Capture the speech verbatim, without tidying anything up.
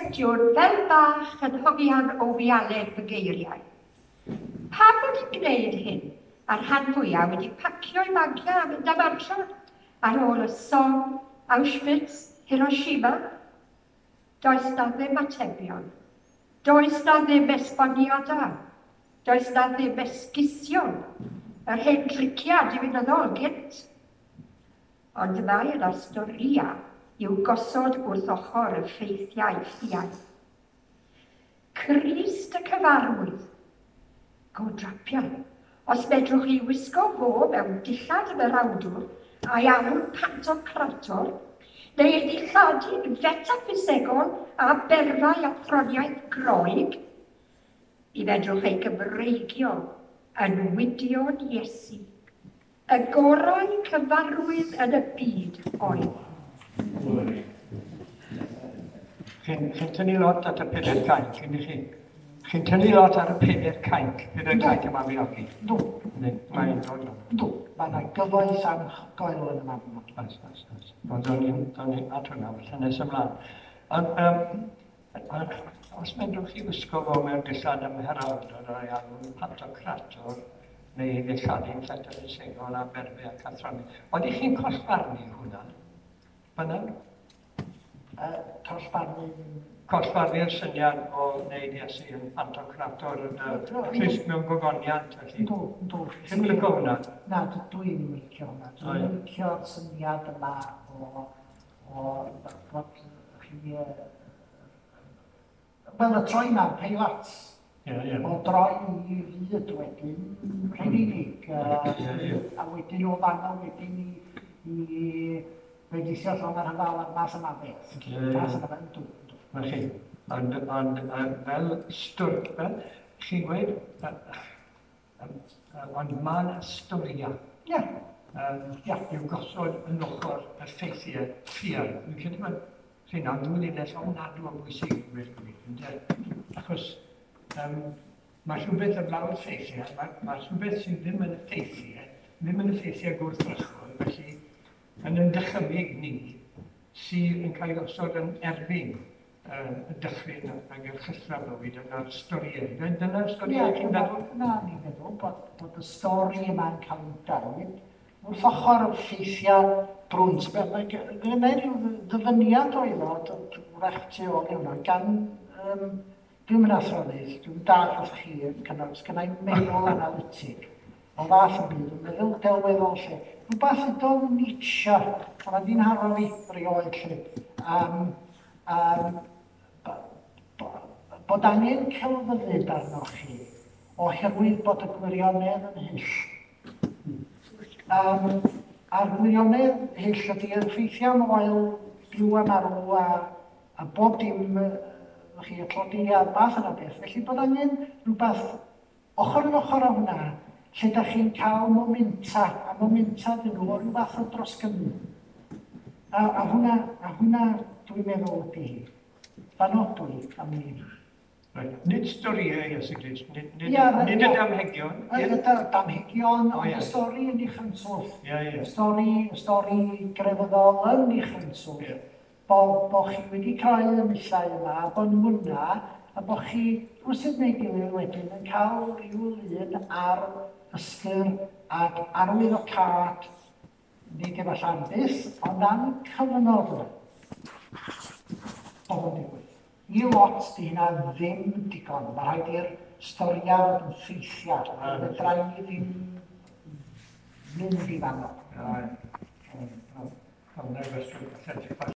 cwestiwn fel bach yn hongian o wialen fy geiriau. Pam bod hi'n gwneud hyn, a'r rhan fwyaf wedi pacio'i bagiau a mynd am adra ar ôl y Somme, Auschwitz, Hiroshima? Does na ddim atebion. Does na ddim esboniadau. Does na ddim esgusion. Yr hen driciau diwinyddol gynt. Ond mae yna storïau i'w gosod wrth ochr y ffeithiau ffiaidd. Crist y cyfarwydd. Go drapiau. Os medrwch chi wisgo fo mewn dillad ymerawdwr a'i alw'n pantocrator, neu ei ddilladu fetaffisegol a berfau athroniaeth Groeg, mi fedrwch ei Gymreigio yn Wydion Iesu. Y gorau cyfarwydd yn y byd oedd. Chi'n chi tynnu lot at y pedair cainc, ydych chi? Chi'n tynnu lot ar y pedair cainc, pedair cainc y Mabinogi? Dw. Mae'n dod. Dw. Mae yna gyfoeth anhygoel yn y Mabinogi. Oes, oes, oes. Wel, do'n i'n do'n i'n at hwnna, falle nes ymlaen. Ond, um, ond, os medrwch chi wisgo fo mewn dillad ymherawdwr o'i alw'n pantocrator, neu ddilladu metaffisegol a berfau ac athroniaeth, oeddech chi'n collfarnu hwnna? Fyna? Uh, collfarnu... Collfarnu'r syniad o wneud Iesu yn pantocrator yn y Crist mewn gogoniant, felly. Dw, dw. Chi'n licio hwnna? Na, dwi ddim yn licio hwnna. Dwi'n licio'r syniad yma o, o bod chi... Wel, y troi na'n Peilat. Ie, ie. O droi i fyd wedyn, Rhufeinig. A wedyn o fanno wedyn i, i bendithio llong ar rhyfel a'r math yma beth. Math yma beth, dw. Na chi, ond, ond fel stwr, fel chi'n gweud, ond mae yna storïau. Ie. Ia, i'w gosod yn ochr y ffeithiau ffiaidd. Dwi'n credu bod rheina'n ddwy linell ofnadwy o bwysig i gweud gwir, ynde? Achos um, mae rhywbeth ymlaen ffeithiau, mae, mae rhywbeth sydd ddim yn y ffeithiau, ddim yn y ffeithiau gwrthrychol, felly yn yn dychymyg ni sydd yn cael ei osod yn erbyn y dychryn ag yr chythra bywyd yna'r storïau. Dyna'r storïau chi'n meddwl? Na, ni'n meddwl bod, bod y stori yma'n cael ei dweud wrth ochr y ffeithiau brwnt. Mae gynna i ryw ddyfyniad oedd o, wrach tu ôl i hwnna, gan... Um, dwi'n mynd athronydd, dwi'n dall wrth chi yn cynnwys, gynna i meddwl analytig o fath yn byd, yn meddwl delweddol lle. Rhywbeth ydodd Nietzsche, a mae di'n haro fi rioed lle. Um, um, bod angen celfyddyd arnoch chi oherwydd bod y gwirionedd yn hyll. Um, a'r gwirionedd hyll ydy'r ffeithiau moel byw a marw a, a bob dim chi, y tlodi a'r math yna beth. Felly bod angen rhywbeth ochr yn ochr â hwnna, lle da chi'n cael momenta, a momenta dyn nhw o ryw fath o drosgynnu. A, a hwnna, a hwnna dwi'n meddwl ydy hi. Fan odw i am ni. Right. Nid storïau Iesu Grist, nid, nid, yeah, nid y damhegion. Y damhegion, ond y stori yn ei chynswll. Yeah, yeah. Y stori, y stori grefyddol yn ei chynswll. Yeah. Bo, bo chi wedi cael y nillau yma, a bo nhw yna, a bo chi, rhywsut neu gilydd wedyn, yn cael rhyw lun ar ystyr ac arwyddocâd, nid efallai am byth, ond am cyfnod yna. Bod o'n digwydd. I lot, di hynna ddim digon. Mae rhaid i'r storiau fod yn ffeithiau. Fedra i ddim mynd i fanno. Hwnna'n gwestiwn.